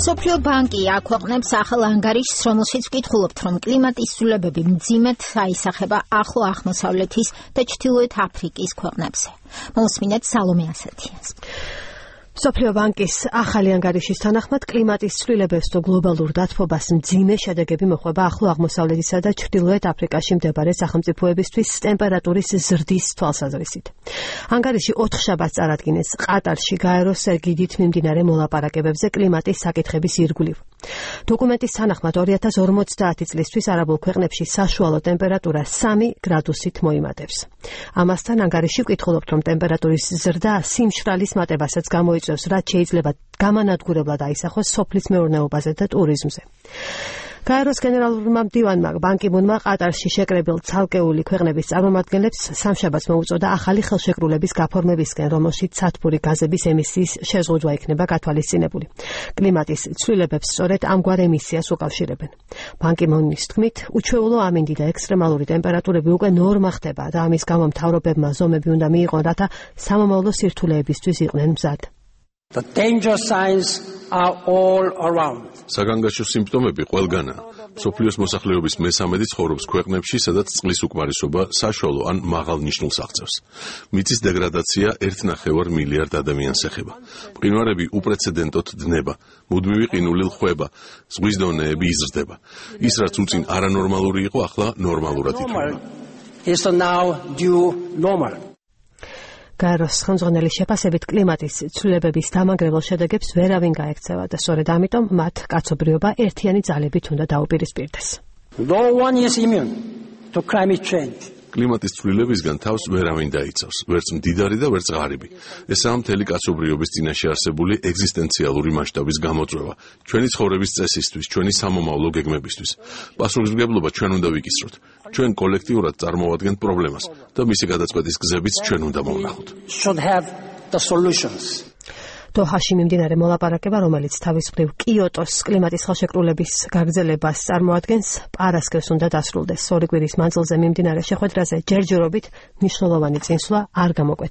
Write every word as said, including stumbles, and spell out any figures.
მსოფლიო ბანკი აქვეყნებს ახალ ანგარიშს, რომელშიც ვკითხულობთ, რომ კლიმატის ცვლილებები მძიმედ აისახება ახლო აღმოსავლეთის და ჩრდილოეთ აფრიკის ქვეყნებზე. Მოსმინეთ სალომე ასათიანს. მსოფლიო ბანკის ახალი ანგარიშის თანახმად კლიმატის ცვლილებებს თუ გლობალურ დათბობას მძიმე შედეგები მოხვება ახლო აღმოსავლეთისა და ჩრდილოეთ აფრიკაში მდებარე სახელმწიფოებისთვის ტემპერატურის ზრდის თვალსაზრისით. ანგარიში ოთხშაბათს წარადგინეს ყატარში გაეროს სერგიდით მიმდინარე მოლაპარაკებებზე კლიმატის საკითხების ირგვლივ. დოკუმენტის თანახმად ორი ათას ორმოცდაათი წლისთვის არაბულ ქვეყნებში საშუალო ტემპერატურა სამი გრადუსით მოიმატებს. ამასთან ანგარიში ვკითხულობთ, რომ ტემპერატურის ზრდა სიმშრალის მატებასაც გამოიწვევს, რაც შეიძლება გამანადგურებლად აისახოს სოფლის მეურნეობაზე და ტურიზმზე. გაეროს გენერალურმა მდივანმა ბან კი მუნმა ყატარში შეკრებილ ცალკეული ქვეყნების წარმომადგენლებს სამშაბათს მოუწოდა ახალი ხელშეკრულების გაფორმებისკენ, რომელშიც სათბური გაზების ემისიის შეზღუდვა იქნება გათვალისწინებული. კლიმატის ცვლილებებს სწორედ ამგვარ ემისიას უკავშირებენ. ბან კი მუნის თქმით, უჩვეულო ამინდი და ექსტრემალური ტემპერატურები უკვე ნორმა ხდება და ამის გამო მთავრობებმა ზომები უნდა მიიღონ, რათა სამომავლო სირთულეებისთვის იყვნენ მზად. The danger signs are all around. საგანგაშო სიმპტომები ყველგანაა. მსოფლიოს მოსახლეობის მესამედი ცხოვრობს ქვეყნებში, სადაც წყლის უკმარისობა საშუალო ან მაღალ ნიშნულს აღწევს. მიწის დეგრადაცია ერთ ნახევარ მილიარდ ადამიანს ეხება. მყინვარები უპრეცედენტოდ დნება, მუდმივი ყინული ლხვება, ზღვის დონეები იზრდება. ის, რაც უწინ არანორმალური იყო, ახლა ნორმალურად იქნება. Is now due normal. გაეროს ხელმძღვანელის შეფასებით კლიმატის ცვლილებების დამანგრეველ შედეგებს ვერავინ გაექცევა და სწორედ ამიტომ მათ კაცობრიობა ერთიანი ძალებით უნდა დაუპირისპირდეს. No one is immune to climate change. კლიმატის ცვლილებისგან თავს ვერავინ დაიცავს, ვერც მდიდარი და ვერც ღარიბი. ესაა მთელი კაცობრიობის წინაშე არსებული ეგზისტენციალური მასშტაბის გამოწვევა, ჩვენი ცხოვრების წესისთვის, ჩვენი სამომავლო გეგმებისთვის. პასუხისმგებლობა ჩვენ უნდა ვიკისროთ. ჩვენ კოლექტიურად წარმოვადგენთ პრობლემას და მისი გადაწყვეტის გზებიც ჩვენ უნდა მოვნახოთ. Should have the solutions. დოჰაში მიმდინარე მოლაპარაკება, რომელიც თავის მხრივ კიოტოს კლიმატის ხელშეკრულების გაგრძელებას წარმოადგენს, პარასკევს უნდა დასრულდეს. ორი კვირის მანძილზე მიმდინარე შეხვედრაზე ჯერჯერობით მნიშვნელოვანი წინსვლა არ გამოკვეთა.